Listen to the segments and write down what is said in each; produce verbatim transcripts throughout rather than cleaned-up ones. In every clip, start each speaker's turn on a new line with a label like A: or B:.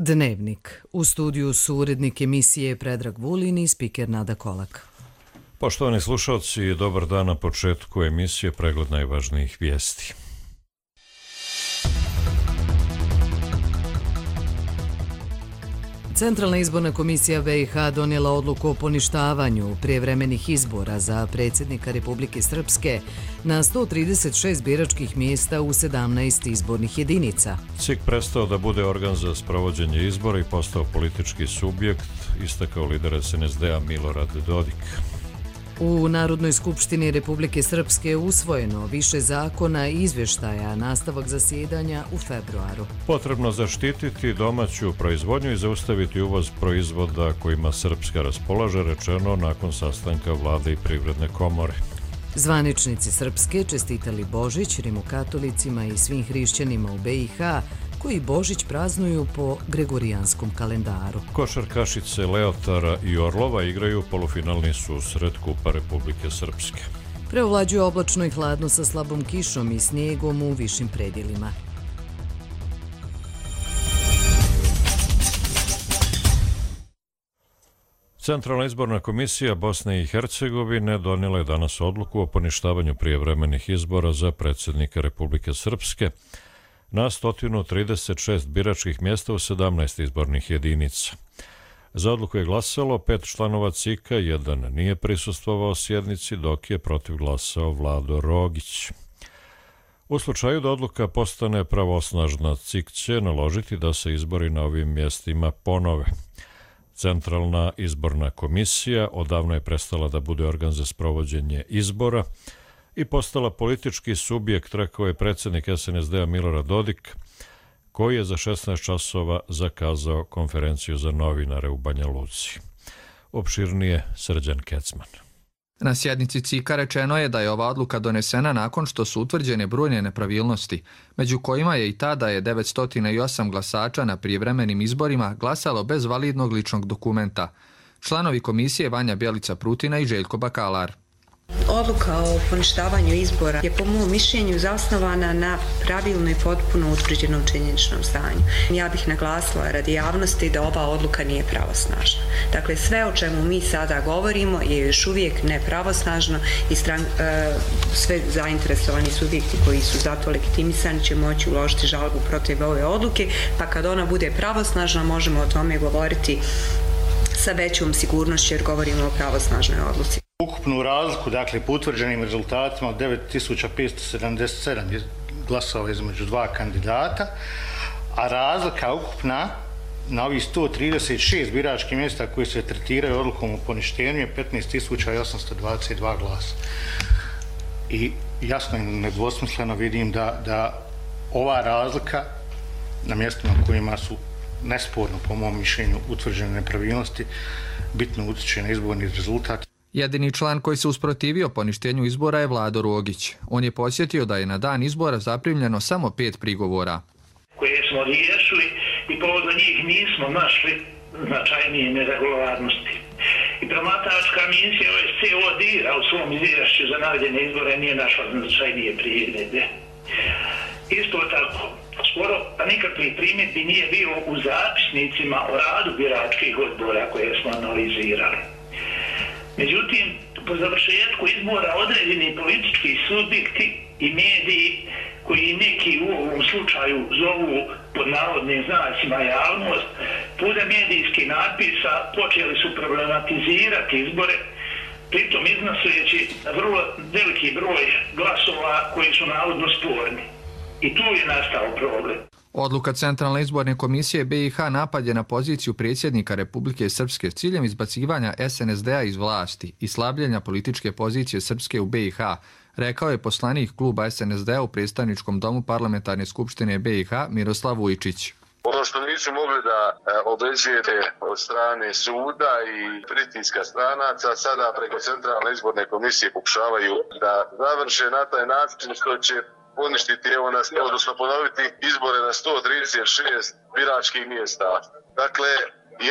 A: Dnevnik. U studiju su urednik emisije Predrag Vulin i spiker Nada Kolak.
B: Poštovani slušalci, dobar dan na početku emisije pregled najvažnijih vijesti.
A: Centralna izborna komisija B i H donijela odluku o poništavanju prijevremenih izbora za predsjednika Republike Srpske na sto trideset šest biračkih mjesta u sedamnaest izbornih jedinica.
B: C I K prestao da bude organ za sprovođenje izbora i postao politički subjekt, istakao lider S N S D-a Milorad Dodik.
A: U Narodnoj skupštini Republike Srpske usvojeno više zakona i izvještaja, nastavak zasjedanja u februaru.
B: Potrebno zaštititi domaću proizvodnju i zaustaviti uvoz proizvoda kojima Srpska raspolaže, rečeno nakon sastanka vlade i privredne komore.
A: Zvaničnici Srpske čestitali Božić rimokatolicima i svim hrišćanima u B i H koji Božić praznuju po gregorijanskom kalendaru.
B: Košarkašice Leotara i Orlova igraju polufinalni susret Kupa Republike Srpske.
A: Preovlađuje oblačno i hladno sa slabom kišom i snijegom u višim predjelima.
B: Centralna izborna komisija Bosne i Hercegovine donijela je danas odluku o poništavanju prijevremenih izbora za predsjednika Republike Srpske na sto trideset šest biračkih mjesta u sedamnaest izbornih jedinica. Za odluku je glasalo pet članova C I K-a, jedan nije prisustvovao sjednici, dok je protiv glasao Vlado Rogić. U slučaju da odluka postane pravosnažna, C I K će naložiti da se izbori na ovim mjestima ponove. Centralna izborna komisija odavno je prestala da bude organ za sprovođenje izbora i postala politički subjekt, rekao je predsjednik S N S D-a Milorad Dodik, koji je za šesnaest časova zakazao konferenciju za novinare u Banja Luci. Opširnije Srđan Kecman.
C: Na sjednici C I K-a rečeno je da je ova odluka donesena nakon što su utvrđene brojne nepravilnosti, među kojima je i ta da je devetsto osam glasača na prijevremenim izborima glasalo bez validnog ličnog dokumenta. Članovi komisije Vanja Bjelica Prutina i Željko Bakalar.
D: Odluka o poništavanju izbora je po mom mišljenju zasnovana na pravilno i potpuno utvrđenom činjeničnom stanju. Ja bih naglasila radi javnosti da ova odluka nije pravosnažna. Dakle, sve o čemu mi sada govorimo je još uvijek nepravosnažno i stran, e, sve zainteresovani subjekti koji su zato legitimisani će moći uložiti žalbu protiv ove odluke, pa kad ona bude pravosnažna možemo o tome govoriti sa većom sigurnošću jer govorimo o pravosnažnoj odluci.
E: Ukupnu razliku, dakle, po utvrđenim rezultatima od devet tisuća petsto sedamdeset sedam glasova između dva kandidata, a razlika ukupna na ovih sto trideset šest biračkih mjesta koji se tretiraju odlukom o poništenju je petnaest tisuća osamsto dvadeset dva glasa. I jasno i nedvosmisleno vidim da, da ova razlika na mjestima kojima su nesporno, po mom mišljenju, utvrđene nepravilnosti, bitno utječe na izborni rezultat.
C: Jedini član koji se usprotivio poništenju izbora je Vlado Rogić. On je podsjetio da je na dan izbora zaprimljeno samo pet prigovora.
F: Koje smo riješili i povodom njih nismo našli značajnije neregularnosti. I promatračka misija O S C odira u svom izvješću za navedene izbore nije našla značajnije primjedbe. Isto tako, skoro pa nikakvih primjedbi nije bilo u zapisnicima o radu biračkih odbora koje smo analizirali. Međutim, po završetku izbora određeni politički subjekti i mediji koji neki u ovom slučaju zovu pod navodnim znacima javnost, putem medijskih natpisa počeli su problematizirati izbore, pritom iznoseći vrlo veliki broj glasova koji su navodno sporni. I tu je nastao problem.
C: Odluka Centralne izborne komisije B i H napad je na poziciju predsjednika Republike Srpske s ciljem izbacivanja S N S D-a iz vlasti i slabljenja političke pozicije Srpske u B i H, rekao je poslanik kluba S N S D-a u predstavničkom domu Parlamentarne skupštine B i H Miroslav Vujčić.
G: Ono što nisu mogli da obezvijede od strane suda i pritiska stranaca, sada preko Centralne izborne komisije pokušavaju da završe na taj način što će poništiti, evo, na, odnosno ponoviti izbore na sto trideset šest biračkih mjesta. Dakle,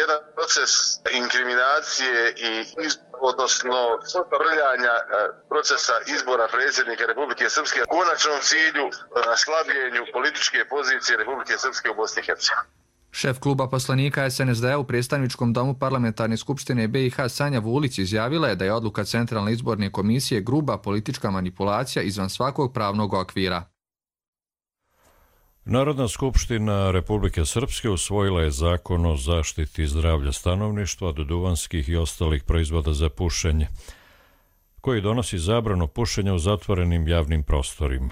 G: jedan proces inkriminacije i odnosno prljanja procesa izbora predsjednika Republike Srpske u konačnom cilju na slabljenju političke pozicije Republike Srpske u Bosni i Hercegovini.
C: Šef kluba poslanika es en es de a u predstavničkom domu parlamentarne skupštine be i ha Sanja Vulić izjavila je da je odluka Centralne izborne komisije gruba politička manipulacija izvan svakog pravnog okvira.
B: Narodna skupština Republike Srpske usvojila je zakon o zaštiti zdravlja stanovništva od duvanskih i ostalih proizvoda za pušenje, koji donosi zabranu pušenja u zatvorenim javnim prostorima.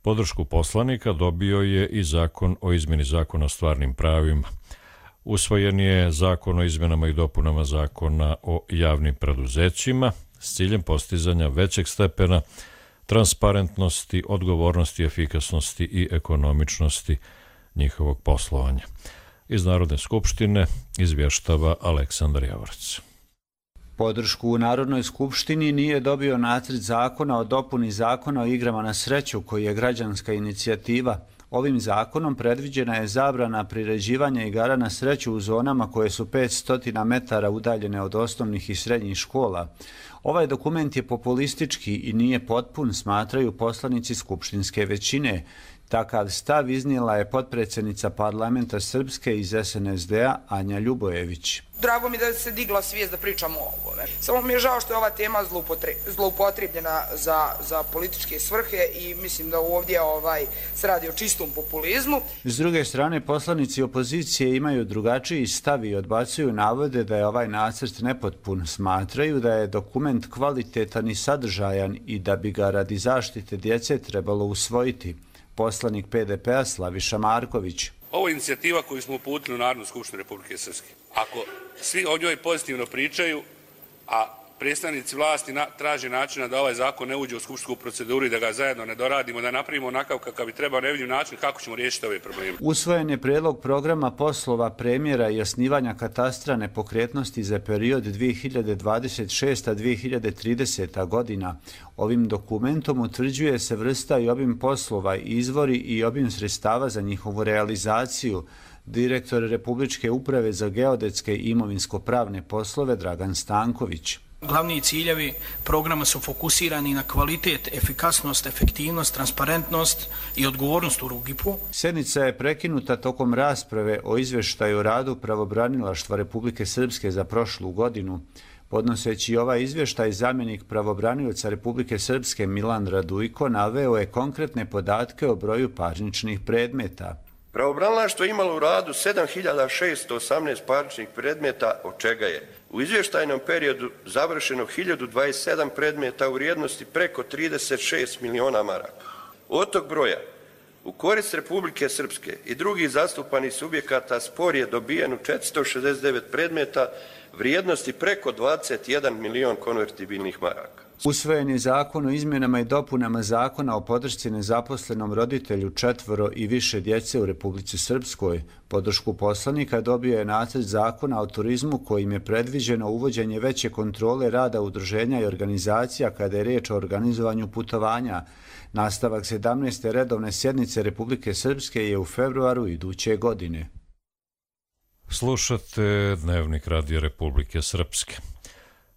B: Podršku poslanika dobio je i zakon o izmjeni zakona o stvarnim pravima. Usvojen je zakon o izmjenama i dopunama zakona o javnim preduzećima s ciljem postizanja većeg stepena transparentnosti, odgovornosti, efikasnosti i ekonomičnosti njihovog poslovanja. Iz Narodne skupštine izvještava Aleksandar Javorac.
H: Podršku u Narodnoj skupštini nije dobio nacrt zakona o dopuni zakona o igrama na sreću, koji je građanska inicijativa. Ovim zakonom predviđena je zabrana priređivanja igara na sreću u zonama koje su petsto metara udaljene od osnovnih i srednjih škola. Ovaj dokument je populistički i nije potpun, smatraju poslanici skupštinske većine. Takav stav iznijela je potpredsjednica parlamenta Srpske iz es en es de a Anja Ljubojević.
I: Drago mi da se digla svijest da pričamo o ovome. Samo mi je žao što je ova tema zloupotrebljena za, za političke svrhe i mislim da ovdje ovaj, se radi o čistom populizmu.
H: S druge strane, poslanici opozicije imaju drugačiji stav i odbacuju navode da je ovaj nacrt nepotpun. Smatraju da je dokument kvalitetan i sadržajan i da bi ga radi zaštite djece trebalo usvojiti. Poslanik pe de pe a Slaviša Marković.
J: Ovo je inicijativa koju smo uputili u Narodnu skupštinu Republike Srpske. Ako svi o njoj pozitivno pričaju, a predstavnici vlasti na, traže načina da ovaj zakon ne uđe u skupštinsku proceduru i da ga zajedno ne doradimo, da napravimo onakav kakav bi trebao, ne vidim način kako ćemo riješiti ove probleme.
H: Usvojen je predlog programa poslova premijera i osnivanja katastra nepokretnosti za period dvije hiljade dvadeset šesta do dvije hiljade trideseta godina. Ovim dokumentom utvrđuje se vrsta i obim poslova, izvori i obim sredstava za njihovu realizaciju. Direktor Republičke uprave za geodetske i imovinsko-pravne poslove Dragan Stanković.
K: Glavni ciljevi programa su fokusirani na kvalitet, efikasnost, efektivnost, transparentnost i odgovornost u R U G I P-u.
H: Sjednica je prekinuta tokom rasprave o izvještaju o radu pravobranilaštva Republike Srpske za prošlu godinu. Podnoseći ovaj izvještaj, zamjenik pravobranioca Republike Srpske Milan Radujko naveo je konkretne podatke o broju parničnih predmeta.
L: Pravobranilaštvo je imalo u radu sedam hiljada šesto osamnaest parničnih predmeta, od čega je u izvještajnom periodu završeno hiljadu dvadeset sedam predmeta u vrijednosti preko trideset šest miliona maraka. Od tog broja, u korist Republike Srpske i drugih zastupanih subjekata spor je dobijen u četiristo šezdeset devet predmeta vrijednosti preko dvadeset jedan milion konvertibilnih maraka.
H: Usvojen je zakon o izmjenama i dopunama zakona o podršci nezaposlenom roditelju četvoro i više djece u Republici Srpskoj. Podršku poslanika dobio je nacrt zakona o turizmu kojim je predviđeno uvođenje veće kontrole rada udruženja i organizacija kada je riječ o organizovanju putovanja. Nastavak sedamnaeste redovne sjednice Republike Srpske je u februaru iduće godine.
B: Slušate Dnevnik Radija Republike Srpske.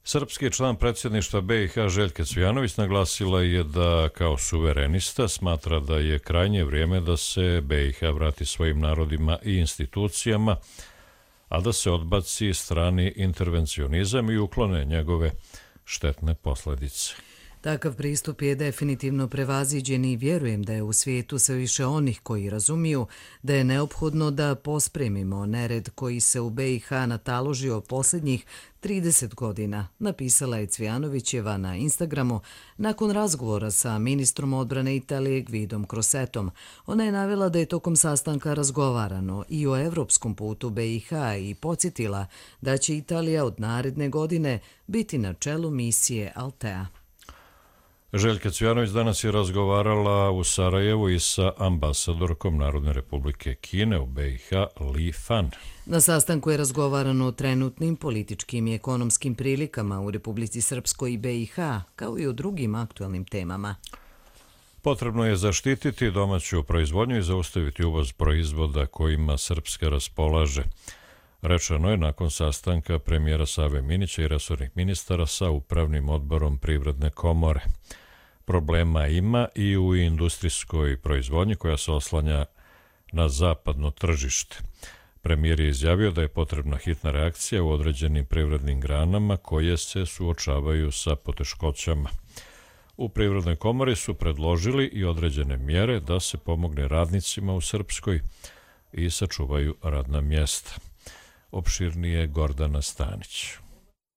B: Srpski član predsjedništva be i ha Željka Cvijanović naglasila je da kao suverenista smatra da je krajnje vrijeme da se be i ha vrati svojim narodima i institucijama, a da se odbaci strani intervencionizam i uklone njegove štetne posljedice.
A: Takav pristup je definitivno prevaziđen i vjerujem da je u svijetu sve više onih koji razumiju da je neophodno da pospremimo nered koji se u be i ha nataložio posljednjih trideset godina, napisala je Cvijanovićeva na Instagramu nakon razgovora sa ministrom odbrane Italije Gvidom Crosettom. Ona je navela da je tokom sastanka razgovarano i o evropskom putu be i ha i podsjetila da će Italija od naredne godine biti na čelu misije Altea.
B: Željka Cvijanović danas je razgovarala u Sarajevu i sa ambasadorkom Narodne republike Kine u be i ha Li Fan.
A: Na sastanku je razgovarano o trenutnim političkim i ekonomskim prilikama u Republici Srpskoj i be i ha, kao i o drugim aktualnim temama.
B: Potrebno je zaštititi domaću proizvodnju i zaustaviti uvoz proizvoda kojima Srpska raspolaže. Rečeno je nakon sastanka premijera Save Minića i resornih ministara sa Upravnim odborom Privredne komore. Problema ima i u industrijskoj proizvodnji koja se oslanja na zapadno tržište. Premijer je izjavio da je potrebna hitna reakcija u određenim privrednim granama koje se suočavaju sa poteškoćama. U Privrednoj komori su predložili i određene mjere da se pomogne radnicima u Srpskoj i sačuvaju radna mjesta. Opširnije Gordana Stanić.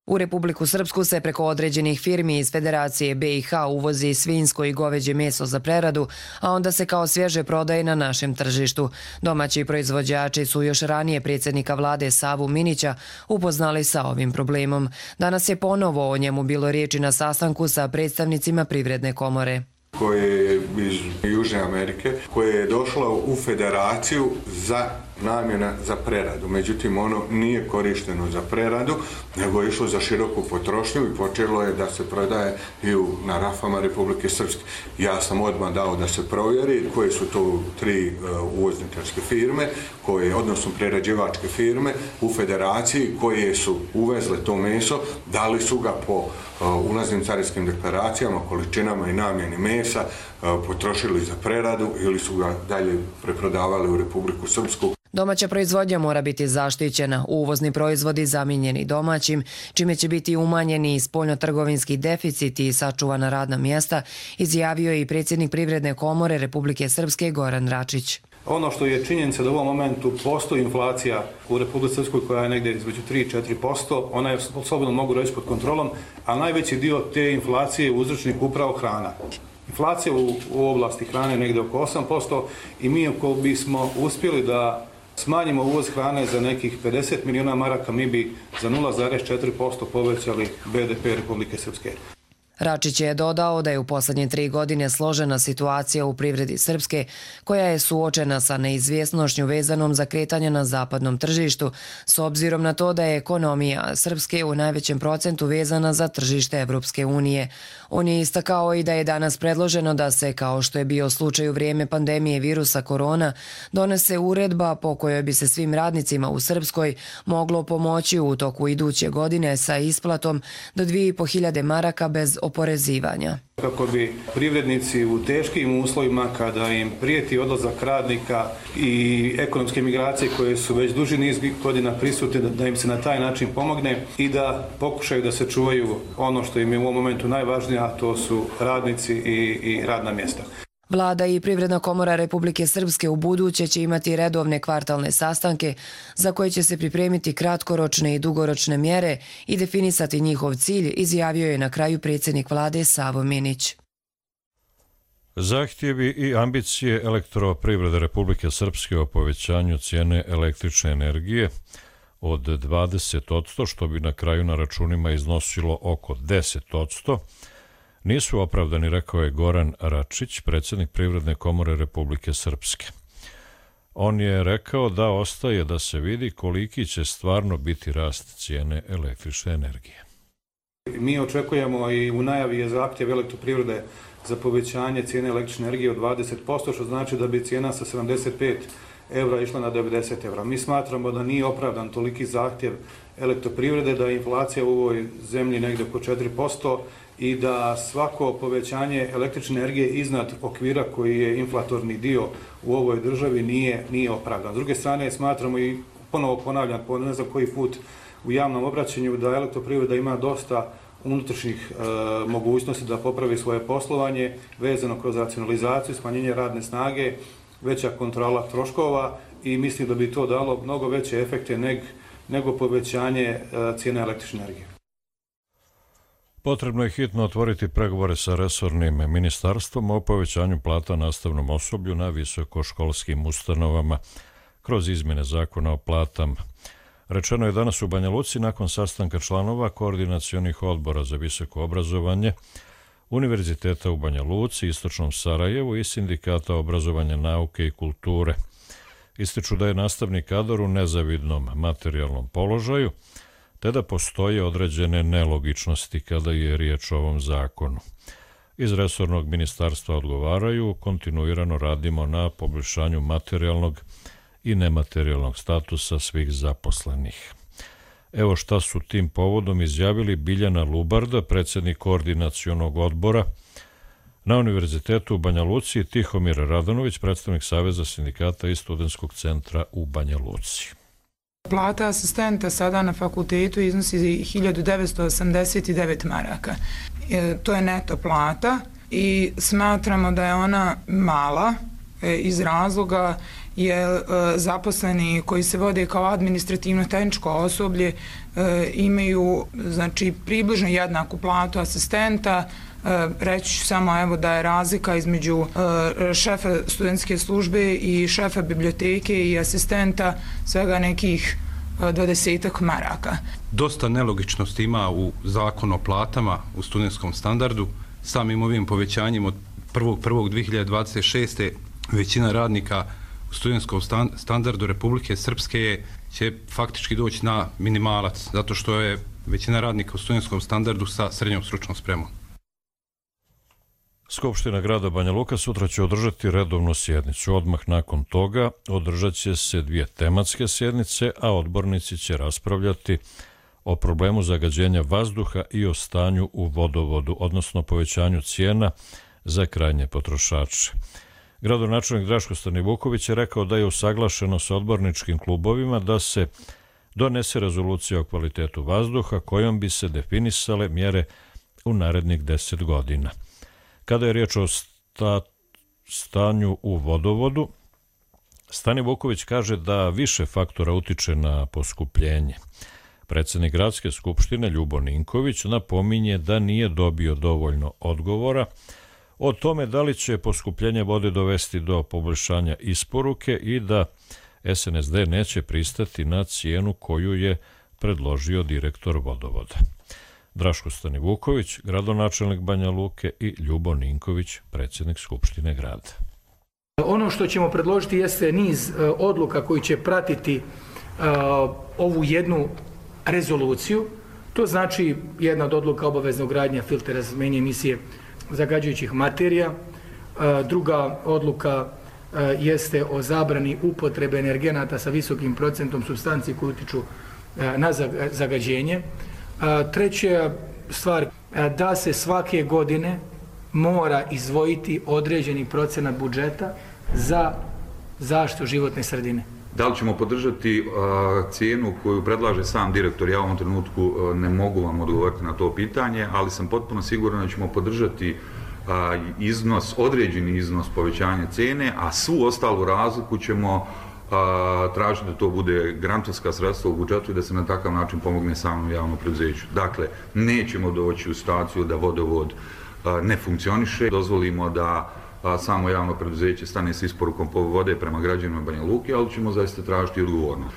M: U Republiku Srpsku se preko određenih firmi iz Federacije be i ha uvozi svinjsko i goveđe meso za preradu, a onda se kao svježe prodaje na našem tržištu. Domaći proizvođači su još ranije predsjednika vlade Savu Minića upoznali sa ovim problemom. Danas je ponovo o njemu bilo riječi na sastanku sa predstavnicima Privredne komore.
N: Koje je iz Južne Amerike, koje je došlo u Federaciju za namjena za preradu. Međutim, ono nije korišteno za preradu, nego je išlo za široku potrošnju i počelo je da se prodaje i u, na rafama Republike Srpske. Ja sam odmah dao da se provjeri koje su to tri uh, uvozničarske firme, koje, odnosno prerađivačke firme u Federaciji koje su uvezle to meso, dali su ga po uh, ulaznim carinskim deklaracijama, količinama i namjeni mesa, uh, potrošili za preradu ili su ga dalje preprodavali u Republiku Srpsku.
M: Domaća proizvodnja mora biti zaštićena, uvozni proizvodi zamijenjeni domaćim, čime će biti umanjeni i spoljnotrgovinski deficit i sačuvana radna mjesta, izjavio je i predsjednik Privredne komore Republike Srpske Goran Račić.
O: Ono što je činjenica da u ovom momentu postoji inflacija u Republici Srpskoj koja je negdje između tri do četiri posto, ona je slobodno mogu reći pod kontrolom, a najveći dio te inflacije je uzročnik upravo hrana. Inflacija u, u oblasti hrane je negdje oko osam posto i mi ako bismo uspjeli da smanjimo uvoz hrane za nekih pedeset milijuna maraka, mi bi za nula zarez četiri posto povećali be de pe Republike Srpske.
M: Račić je dodao da je u posljednje tri godine složena situacija u privredi Srpske, koja je suočena sa neizvjesnošću vezanom za kretanje na zapadnom tržištu, s obzirom na to da je ekonomija Srpske u najvećem procentu vezana za tržište Evropske unije. On je istakao i da je danas predloženo da se, kao što je bio slučaj u vrijeme pandemije virusa korona, donese uredba po kojoj bi se svim radnicima u Srpskoj moglo pomoći u toku iduće godine sa isplatom do dvije i po hiljade maraka bez oporezivanja.
O: Kako bi privrednici u teškim uslovima, kada im prijeti odlazak radnika i ekonomske migracije koje su već duži niz godina prisutne, da im se na taj način pomogne i da pokušaju da se čuvaju ono što im je u ovom momentu najvažnije, a to su radnici i, i radna mjesta.
M: Vlada i Privredna komora Republike Srpske u buduće će imati redovne kvartalne sastanke za koje će se pripremiti kratkoročne i dugoročne mjere i definisati njihov cilj, izjavio je na kraju predsjednik vlade Savo Minić.
B: Zahtjevi i ambicije Elektroprivrede Republike Srpske o povećanju cijene električne energije od dvadeset posto, što bi na kraju na računima iznosilo oko deset posto, nisu opravdani, rekao je Goran Račić, predsjednik Privredne komore Republike Srpske. On je rekao da ostaje da se vidi koliki će stvarno biti rast cijene električne energije.
O: Mi očekujemo i u najavi je zahtjev Elektroprivrede za povećanje cijene električne energije od dvadeset posto, što znači da bi cijena sa sedamdeset pet evra išla na devedeset evra. Mi smatramo da nije opravdan toliki zahtjev Elektroprivrede, da je inflacija u ovoj zemlji negdje oko četiri posto i da svako povećanje električne energije iznad okvira koji je inflatorni dio u ovoj državi nije, nije opravdan. S druge strane, smatramo i ponovo ponavljam, po ne znam koji put u javnom obraćanju, da Elektroprivreda ima dosta unutrašnjih e, mogućnosti da popravi svoje poslovanje vezano kroz racionalizaciju, smanjenje radne snage, veća kontrola troškova i mislim da bi to dalo mnogo veće efekte neg, nego povećanje e, cijene električne energije.
B: Potrebno je hitno otvoriti pregovore sa resornim ministarstvom o povećanju plata nastavnom osoblju na visokoškolskim ustanovama kroz izmjene zakona o platama. Rečeno je danas u Banja Luci nakon sastanka članova koordinacionih odbora za visoko obrazovanje Univerziteta u Banja Luci, Istočnom Sarajevu i Sindikata obrazovanja, nauke i kulture. Ističu da je nastavni kadar u nezavidnom materijalnom položaju, te da postoje određene nelogičnosti kada je riječ o ovom zakonu. Iz resornog ministarstva odgovaraju, kontinuirano radimo na poboljšanju materijalnog i nematerijalnog statusa svih zaposlenih. Evo šta su tim povodom izjavili Biljana Lubarda, predsjednik koordinacionog odbora na Univerzitetu u Banja Luci, i Tihomir Radanović, predstavnik Saveza sindikata i Studentskog centra u Banja Luci.
I: Plata asistenta sada na fakultetu iznosi hiljadu devetsto osamdeset devet maraka. E, to je neto plata i smatramo da je ona mala e, iz razloga jer e, zaposleni koji se vode kao administrativno-tehničko osoblje e, imaju znači približno jednaku platu asistenta. E, reći ću samo evo da je razlika između e, šefa studentske službe i šefa biblioteke i asistenta svega nekih dvadesetak maraka.
P: Dosta nelogičnosti ima u zakonu o platama u studentskom standardu. Samim ovim povećanjem od prvog prvog dve hiljade dvadeset šeste. većina radnika u studentskom standardu Republike Srpske je, će faktički doći na minimalac, zato što je većina radnika u studentskom standardu sa srednjom stručnom spremom.
B: Skupština grada Banja Luka sutra će održati redovnu sjednicu. Odmah nakon toga održat će se dvije tematske sjednice, a odbornici će raspravljati o problemu zagađenja vazduha i o stanju u vodovodu, odnosno povećanju cijena za krajnje potrošače. Gradonačelnik Draško Stanivuković je rekao da je usaglašeno sa odborničkim klubovima da se donese rezolucija o kvalitetu vazduha kojom bi se definisale mjere u narednih deset godina. Kada je riječ o sta, stanju u vodovodu, Stanivuković kaže da više faktora utiče na poskupljenje. Predsjednik gradske skupštine Ljubo Ninković napominje da nije dobio dovoljno odgovora o tome da li će poskupljenje vode dovesti do poboljšanja isporuke i da S N S D neće pristati na cijenu koju je predložio direktor vodovoda. Draško Stanivuković, gradonačelnik Banja Luke, i Ljubo Ninković, predsjednik Skupštine grada.
Q: Ono što ćemo predložiti jeste niz odluka koji će pratiti uh, ovu jednu rezoluciju. To znači jedna od odluka obavezna ugradnja filtera za smanjenje emisije zagađujućih materija. Uh, druga odluka uh, jeste o zabrani upotrebe energenata sa visokim procentom supstanci koji utiču uh, na zagađenje. Treća stvar, da se svake godine mora izdvojiti određeni procenat budžeta za zaštitu životne sredine.
R: Da li ćemo podržati uh, cijenu koju predlaže sam direktor? Ja u ovom trenutku uh, ne mogu vam odgovoriti na to pitanje, ali sam potpuno siguran da ćemo podržati uh, iznos, određeni iznos povećanja cijene, a svu ostalu razliku ćemo a, traži da to bude grantovska sredstva u budžetu i da se na takav način pomogne samom javnom preduzeću. Dakle, nećemo doći u situaciju da vodovod a, ne funkcioniše, dozvolimo da a, samo javno preduzeće stane s isporukom vode prema građanima Banja Luke, ali ćemo zaista tražiti odgovornost.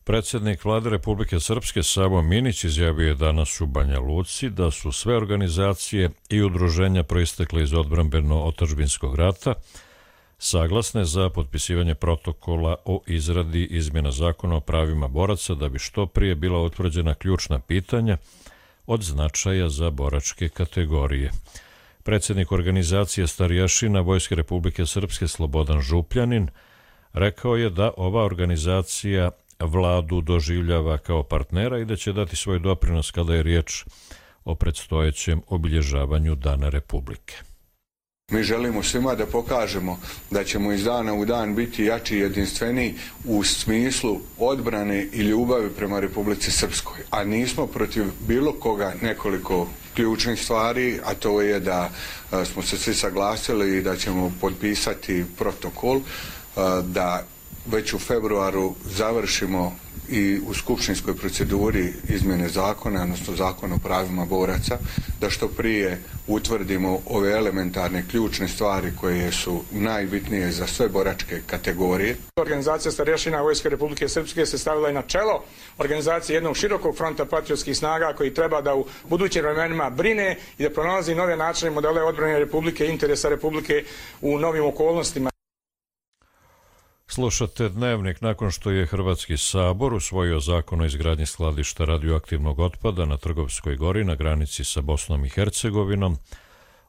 B: Predsjednik Vlade Republike Srpske Savo Minić izjavio je danas u Banja Luci da su sve organizacije i udruženja proistekle iz odbrambeno-otadžbinskog rata saglasne za potpisivanje protokola o izradi izmjena zakona o pravima boraca da bi što prije bila utvrđena ključna pitanja od značaja za boračke kategorije. Predsjednik organizacije Starijašina Vojske Republike Srpske Slobodan Župljanin rekao je da ova organizacija Vladu doživljava kao partnera i da će dati svoj doprinos kada je riječ o predstojećem obilježavanju Dana Republike.
N: Mi želimo svima da pokažemo da ćemo iz dana u dan biti jači i jedinstveniji u smislu odbrane i ljubavi prema Republici Srpskoj, a nismo protiv bilo koga. Nekoliko ključnih stvari, a to je da smo se svi saglasili i da ćemo potpisati protokol, da već u februaru završimo i u skupštinskoj proceduri izmjene zakona, odnosno zakona o pravima boraca, da što prije utvrdimo ove elementarne ključne stvari koje su najbitnije za sve boračke kategorije.
S: Organizacija Starješina Vojske Republike Srpske se stavila i na čelo organizacije jednog širokog fronta patriotskih snaga koji treba da u budućim vremenima brine i da pronalazi nove načine modele odbrane Republike i interesa Republike u novim okolnostima.
B: Slušate Dnevnik. Nakon što je Hrvatski sabor usvojio zakon o izgradnji skladišta radioaktivnog otpada na Trgovskoj gori na granici sa Bosnom i Hercegovinom,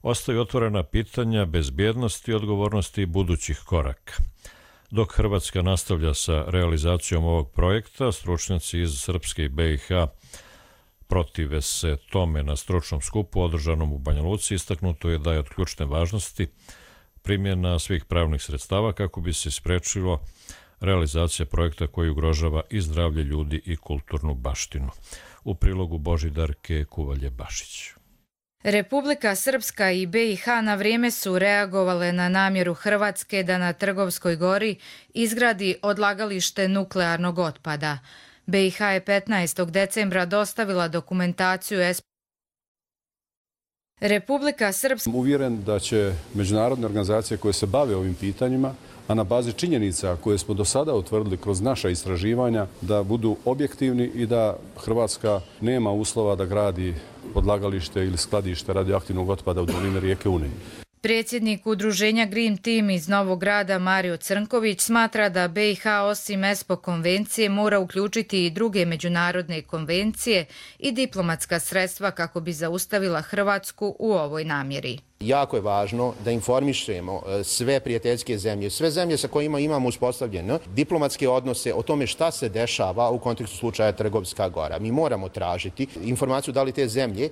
B: ostaju otvorena pitanja bezbjednosti i odgovornosti budućih koraka. Dok Hrvatska nastavlja sa realizacijom ovog projekta, stručnjaci iz Srpske i B i H protive se tome. Na stručnom skupu održanom u Banja Luci istaknuto je da je od ključne važnosti primjena svih pravnih sredstava kako bi se sprečilo realizacija projekta koji ugrožava i zdravlje ljudi i kulturnu baštinu. U prilogu Božidarke Kuvalje-Bašić.
T: Republika Srpska i B i H na vrijeme su reagovale na namjeru Hrvatske da na Trgovskoj gori izgradi odlagalište nuklearnog otpada. B i H je petnaestog decembra dostavila dokumentaciju S. Republika Srpska...
U: Uvjeren da će međunarodne organizacije koje se bave ovim pitanjima, a na bazi činjenica koje smo do sada utvrdili kroz naša istraživanja, da budu objektivni i da Hrvatska nema uslova da gradi odlagalište ili skladište radioaktivnog otpada u dolini rijeke Une.
T: Predsjednik udruženja Green Team iz Novog Grada Mario Crnković smatra da B i H osim E S P O konvencije mora uključiti i druge međunarodne konvencije i diplomatska sredstva kako bi zaustavila Hrvatsku u ovoj namjeri.
V: Jako je važno da informišemo sve prijateljske zemlje, sve zemlje sa kojima imamo uspostavljene diplomatske odnose o tome šta se dešava u kontekstu slučaja Trgovska gora. Mi moramo tražiti informaciju da li te zemlje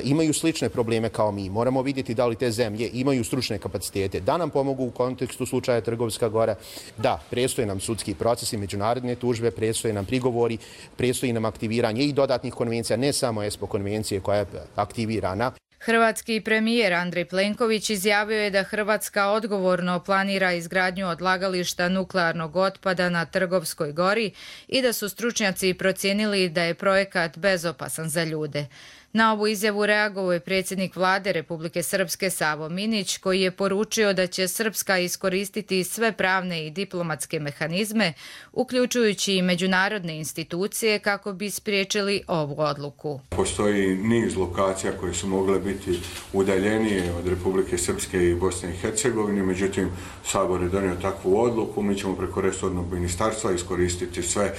V: imaju slične probleme kao mi. Moramo vidjeti da li te zemlje imaju stručne kapacitete da nam pomogu u kontekstu slučaja Trgovska gora. Da, predstoje nam sudski procesi, međunarodne tužbe, predstoje nam prigovori, predstoji nam aktiviranje i dodatnih konvencija, ne samo E S P O konvencije koja je aktivirana.
T: Hrvatski premijer Andrej Plenković izjavio je da Hrvatska odgovorno planira izgradnju odlagališta nuklearnog otpada na Trgovskoj gori i da su stručnjaci procijenili da je projekat bezopasan za ljude. Na ovu izjavu reagovao je predsjednik vlade Republike Srpske Savo Minić, koji je poručio da će Srpska iskoristiti sve pravne i diplomatske mehanizme, uključujući i međunarodne institucije, kako bi spriječili ovu odluku.
N: Postoji niz lokacija koje su mogle biti udaljenije od Republike Srpske i Bosne i Hercegovine, međutim Sabor je donio takvu odluku, mi ćemo preko resornog ministarstva iskoristiti sve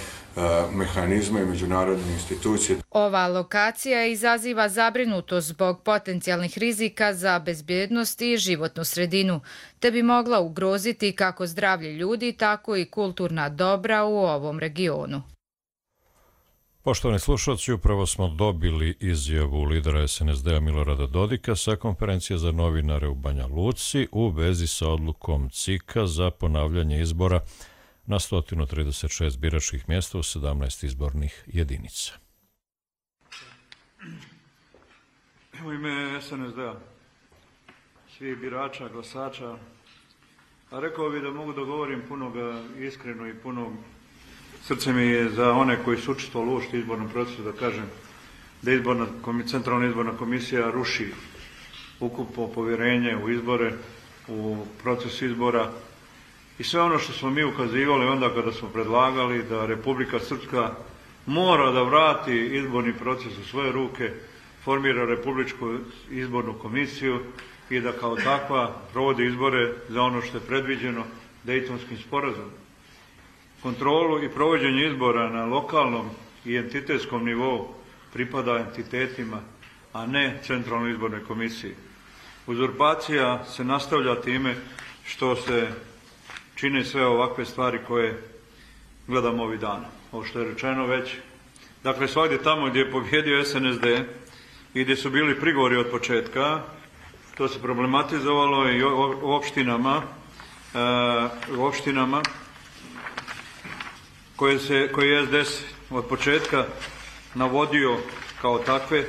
N: mehanizme i međunarodne institucije.
T: Ova lokacija izaziva zabrinutost zbog potencijalnih rizika za bezbjednost i životnu sredinu, te bi mogla ugroziti kako zdravlje ljudi, tako i kulturna dobra u ovom regionu.
B: Poštovani slušalci, upravo smo dobili izjavu lidera S N S D-a Milorada Dodika sa konferencije za novinare u Banja Luci u vezi sa odlukom C I K-a za ponavljanje izbora na sto trideset šest biračkih mjesta u sedamnaest izbornih jedinica.
W: U ime S N S D-a, svih birača, glasača, a rekao bih da mogu da govorim puno iskreno i puno srce mi je za one koji su učestvovali u uopšte izbornom procesu, da kažem da izborna, centralna izborna komisija ruši ukupno povjerenje u izbore, u proces izbora i sve ono što smo mi ukazivali onda kada smo predlagali da Republika Srpska mora da vrati izborni proces u svoje ruke, formira Republičku izbornu komisiju i da kao takva provodi izbore za ono što je predviđeno Dejtonskim sporazumom. Kontrolu i provođenje izbora na lokalnom i entitetskom nivou pripada entitetima, a ne Centralnoj izbornoj komisiji. Uzurpacija se nastavlja time što se čine sve ovakve stvari koje gledamo ovih dana. Ovo što je rečeno već. Dakle, svakdje tamo gdje je pobjedio S N S D i gdje su bili prigovori od početka, to se problematizovalo i u opštinama, u opštinama koje, se, koje je S D S od početka navodio kao takve,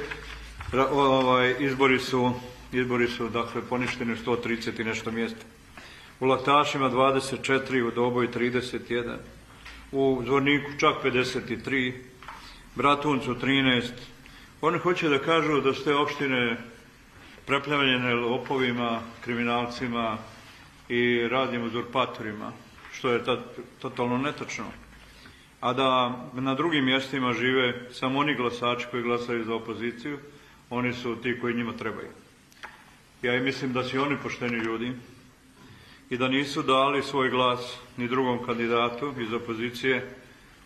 W: ovaj, izbori su, izbori su dakle, poništeni u sto trideset i nešto mjesta. U Laktašima dvadeset četiri, u Doboju trideset jedan, u Zvorniku čak pedeset tri, Bratuncu trinaest. Oni hoće da kažu da su te opštine preplavljene lopovima, kriminalcima i raznim uzurpatorima, što je totalno netočno. A da na drugim mjestima žive samo oni glasači koji glasaju za opoziciju, oni su ti koji njima trebaju. Ja i mislim da su oni pošteni ljudi i da nisu dali svoj glas ni drugom kandidatu iz opozicije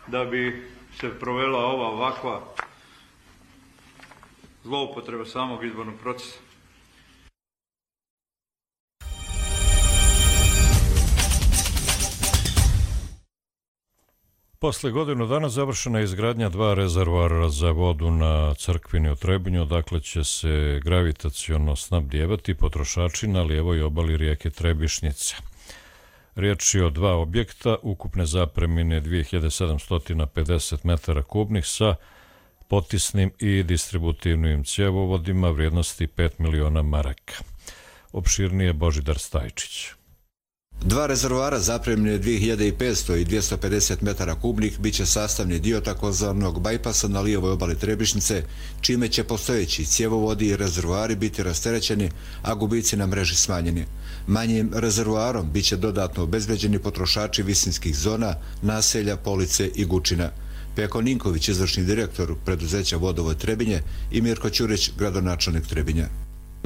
W: da bi se provela ova ovakva zloupotreba samog izbornog procesa.
B: Posle godinu dana završena je izgradnja dva rezervoara za vodu na Crkvini u Trebinju, odakle će se gravitaciono snabdijevati potrošači na lijevoj obali rijeke Trebišnjice. Riječ je o dva objekta, ukupne zapremine dve hiljade sedamsto pedeset metara kubnih sa potisnim i distributivnim cjevovodima vrijednosti pet miliona maraka. Opširnije Božidar Stajčić.
D: Dva rezervoara zapremljene dve hiljade petsto i dvjesto pedeset metara kubnih bit će sastavni dio takozvanog bajpasa na lijevoj obali Trebišnjice, čime će postojeći cjevovodi i rezervoari biti rasterećeni, a gubici na mreži smanjeni. Manjim rezervoarom bit će dodatno obezbeđeni potrošači visinskih zona, naselja, Police i Gučina. Peko Ninković, izvršni direktor preduzeća Vodovod Trebinje, i Mirko Ćurić, gradonačelnik Trebinja.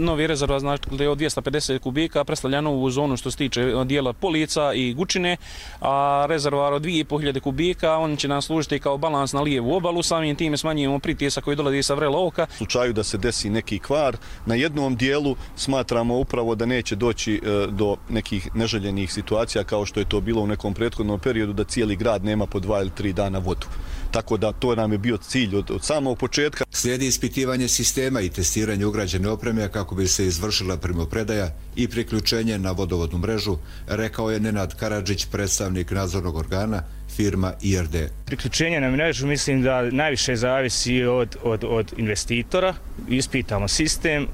E: Novi rezervoar znači od dvjesto pedeset kubika predstavlja novu zonu što se tiče dijela Polica i Gučine, a rezervoar od dvije i pol hiljade kubika on će nam služiti kao balans na lijevu obalu, samim time smanjujemo pritisak koji dolazi sa vrela oka.
F: U slučaju da se desi neki kvar na jednom dijelu, smatramo upravo da neće doći do nekih neželjenih situacija kao što je to bilo u nekom prethodnom periodu, da cijeli grad nema po dva ili tri dana vodu. Tako da to nam je bio cilj od, od samog početka.
D: Slijedi ispitivanje sistema i testiranje ugrađene opreme kako bi se izvršila primopredaja i priključenje na vodovodnu mrežu, rekao je Nenad Karadžić, predstavnik nadzornog organa firma I R D.
X: Priključenje na mrežu mislim da najviše zavisi od, od, od investitora. Ispitamo sistem,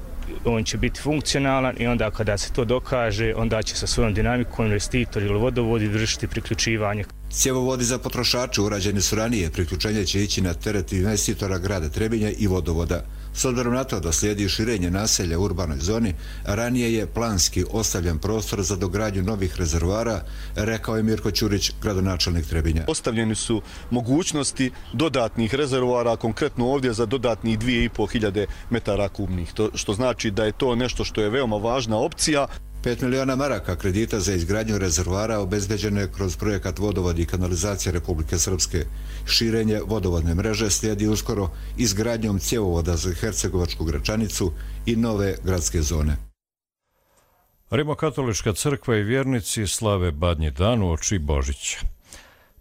X: on će biti funkcionalan i onda kada se to dokaže, onda će sa svojom dinamikom investitor ili vodovodi vršiti priključivanje.
D: Cjevovodi za potrošače urađeni su ranije, priključenje će ići na teret investitora grada Trebinja i vodovoda. S obzirom na to da slijedi širenje naselja u urbanoj zoni, ranije je planski ostavljen prostor za dogradnju novih rezervoara, rekao je Mirko Ćurić, gradonačelnik Trebinja.
F: Ostavljeni su mogućnosti dodatnih rezervoara, konkretno ovdje za dodatnih dvije i pol hiljade metara kubnih, to, što znači da je to nešto što je veoma važna opcija.
D: pet miliona maraka kredita za izgradnju rezervoara obezbeđeno je kroz projekat Vodovod i kanalizacija Republike Srpske. Širenje vodovodne mreže slijedi uskoro izgradnjom cjevovoda za Hercegovačku Gračanicu i nove gradske zone.
B: Rimokatolička crkva i vjernici slave Badnji dan uoči Božića.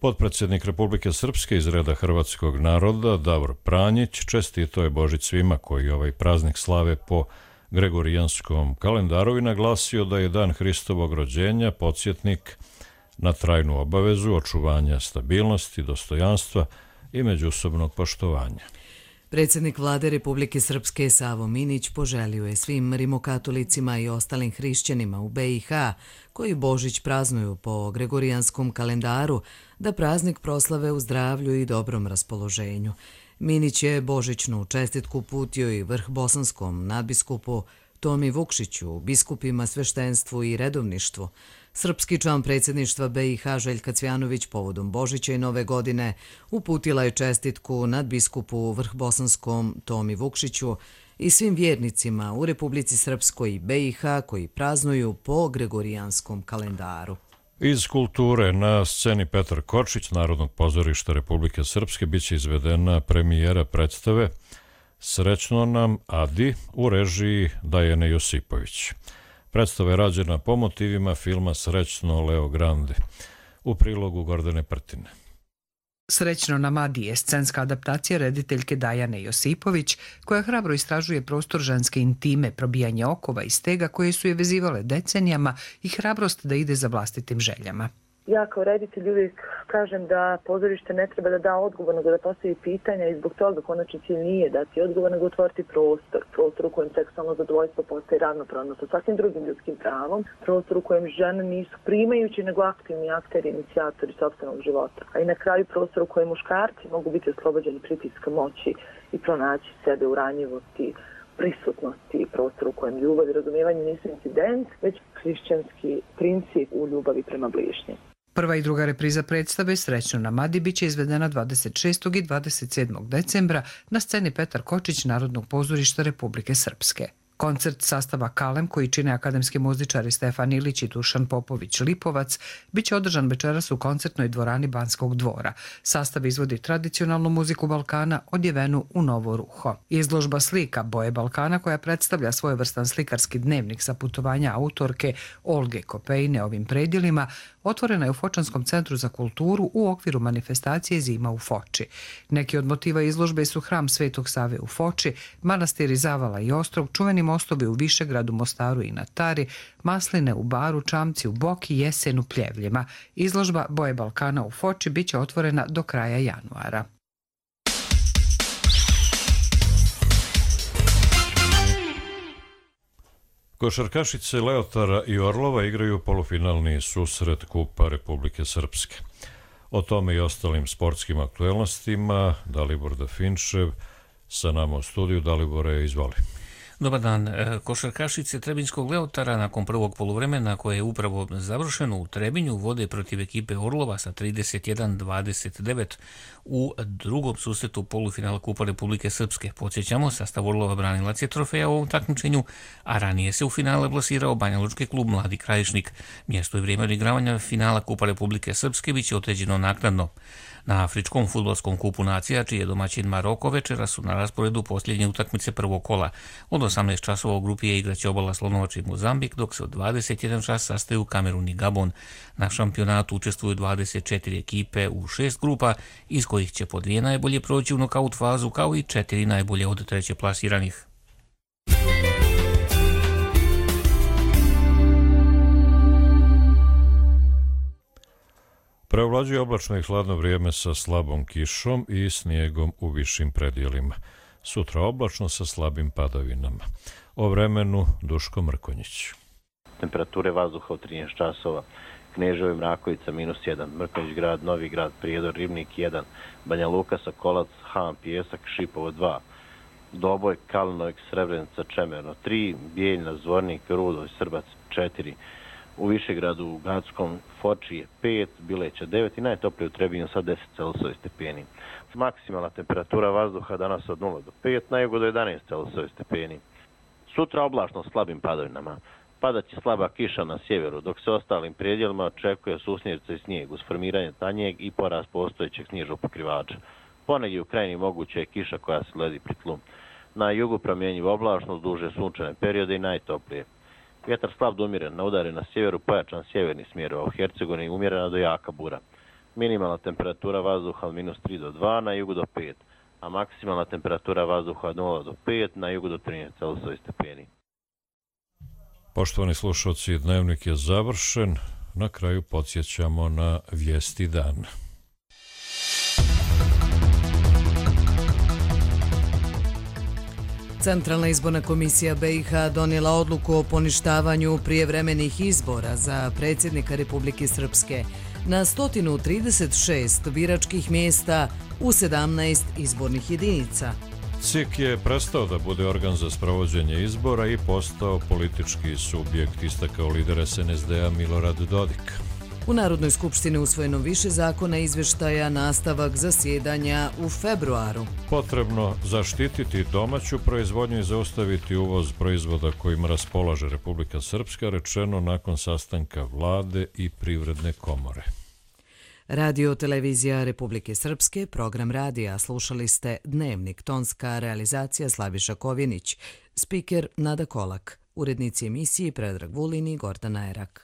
B: Potpredsjednik Republike Srpske iz reda hrvatskog naroda Davor Pranjić čestito je Božić svima koji ovaj praznik slave po gregorijanskom kalendaru i naglasio da je dan Hristovog rođenja podsjetnik na trajnu obavezu očuvanja stabilnosti, dostojanstva i međusobnog poštovanja.
A: Predsjednik vlade Republike Srpske Savo Minić poželio je svim rimokatolicima i ostalim hrišćanima u B i H koji Božić praznuju po gregorijanskom kalendaru da praznik proslave u zdravlju i dobrom raspoloženju. Minić je božićnu čestitku uputio i vrh bosanskom nadbiskupu Tomi Vukšiću, biskupima, sveštenstvu i redovništvu. Srpski član predsjedništva B i H Željka Cvjanović povodom Božića i Nove godine uputila je čestitku nadbiskupu vrh bosanskom Tomi Vukšiću i svim vjernicima u Republici Srpskoj i B i H koji praznuju po gregorijanskom kalendaru.
B: Iz kulture na sceni Petar Kočić Narodnog pozorišta Republike Srpske biće izvedena premijera predstave Srećno nam Adi u režiji Dajane Josipović. Predstava je rađena po motivima filma Srećno Leo Grande u prilogu Gordane Prtine.
Y: Srećno nam Adi je scenska adaptacija rediteljke Dajane Josipović, koja hrabro istražuje prostor ženske intime, probijanje okova i stega koje su je vezivale decenijama i hrabrost da ide za vlastitim željama.
Z: Ja kao reditelj uvijek kažem da pozorište ne treba da da odgovor, nego da postavi pitanja i zbog toga konačni cilj nije dati odgovor, nego otvoriti prostor. Prostor u kojem seksualno zadovoljstvo postaje ravnopravno sa svakim drugim ljudskim pravom. Prostor u kojem žene nisu primajući, nego aktivni akteri, inicijatori sopstvenog života. A i na kraju prostor u kojem muškarci mogu biti oslobođeni pritiska moći i pronaći sebe u ranjivosti, prisutnosti, prostor u kojem ljubav i razumijevanje nisu incident, već hrišćanski princip u ljubavi prema bližnjem.
Y: Prva i druga repriza predstave Srećno nam Adi biće izvedena dvadeset šestog i dvadeset sedmog decembra na sceni Petar Kočić Narodnog pozorišta Republike Srpske. Koncert sastava Kalem, koji čine akademski muzičari Stefan Ilić i Dušan Popović-Lipovac, biće održan večeras u koncertnoj dvorani Banskog dvora. Sastav izvodi tradicionalnu muziku Balkana odjevenu u novo ruho. Izložba slika Boje Balkana, koja predstavlja svojevrstan slikarski dnevnik sa putovanja autorke Olge Kopejne ovim predjelima, otvorena je u Fočanskom centru za kulturu u okviru manifestacije Zima u Foči. Neki od motiva izložbe su hram Svetog Save u Foči, manastiri Zavala i Ostrog, čuveni mostovi u Višegradu, Mostaru i na Tari, masline u Baru, čamci u Boki, jesen u Pljevljima. Izložba Boje Balkana u Foči biće otvorena do kraja januara.
B: Košarkašice Leotara i Orlova igraju polufinalni susret Kupa Republike Srpske. O tome i ostalim sportskim aktuelnostima Dalibor Dafinčev sa nama u studiju. Dalibore, izvoli.
C: Dobar dan. Košarkašice Trebinjskog Leotara nakon prvog poluvremena koje je upravo završeno u Trebinju vode protiv ekipe Orlova sa trideset jedan dvadeset devet u drugom susretu polufinala Kupa Republike Srpske. Podsjećamo, sastav Orlova branilac je trofeja u ovom takmičenju, a ranije se u finale plasirao Banjalučki klub Mladi Krajišnik. Mjesto i vrijeme odigravanja finala Kupa Republike Srpske biće određeno naknadno. Na Afričkom fudbalskom kupu nacija, čiji je domaćin Maroko, večera su na rasporedu posljednje utakmice prvog kola. Od osamnaest časova u grupi je igraće Obala Slonovača i Mozambik, dok se od dvadeset jedan čas sastaju Kamerun i Gabon. Na šampionatu učestvuju dvadeset četiri ekipe u šest grupa, iz kojih će po dvije najbolje proći u nokaut fazu, kao i četiri najbolje od treće plasiranih.
B: Preovlađuje oblačno i hladno vrijeme sa slabom kišom i snijegom u višim predjelima. Sutra oblačno sa slabim padavinama. O vremenu Duško Mrkonjić.
G: Temperature vazduha u trinaest časova. Kneževo i Mrakovica minus jedan, Mrkonjić grad, Novi grad, Prijedor, Ribnik jedan, Banja Luka, Sokolac, Han, Pijesak, Šipovo dva, Doboj, Kalinovik, Srebrenica, Čemerno tri, Bijeljna, Zvornik, Rudoj, Srbac četiri, u Višegradu, u Gadskom, Foči je pet, Bileća devet i najtoplije u Trebinju sa deset Celsijevi stepeni. Maksimalna temperatura vazduha danas od nula do pet, na jugu do jedanaest Celsijevi stepeni. Sutra oblačno s slabim padavinama. Padaće slaba kiša na sjeveru, dok se ostalim predjelima očekuje susnjerca i snijeg uz formiranje tanjeg i porast postojećeg snježnog pokrivača. Ponegdje u krajini moguće je kiša koja se ledi pri tlu. Na jugu promjenjivo oblačno, duže sunčane periode i najtoplije. Vjetar slab do umjeren, na udare na sjeveru, pojačan sjeverni smjer, a u Hercegovini umjerena do jaka bura. Minimalna temperatura vazduha od minus tri do dva, na jugu do pet, a maksimalna temperatura vazduha od nula do pet, na jugu do trinaest Celsijevi stepeni.
B: Poštovani slušalci, dnevnik je završen. Na kraju podsjećamo na vijesti dana.
A: Centralna izborna komisija B i H donijela odluku o poništavanju prijevremenih izbora za predsjednika Republike Srpske na sto trideset šest biračkih mjesta u sedamnaest izbornih jedinica.
B: C I K je prestao da bude organ za sprovođenje izbora i postao politički subjekt, istakao lider S N S D-a Milorad Dodik.
A: U Narodnoj skupštini usvojeno više zakona izvještaja, nastavak zasjedanja u februaru.
B: Potrebno zaštititi domaću proizvodnju i zaustaviti uvoz proizvoda kojima raspolaže Republika Srpska, rečeno nakon sastanka vlade i privredne komore.
A: Radio televizija Republike Srpske, program radija, slušali ste Dnevnik, tonska realizacija Slaviša Kovjenić, spiker Nada Kolak, urednici emisiji Predrag Vulin i Gordana Erak.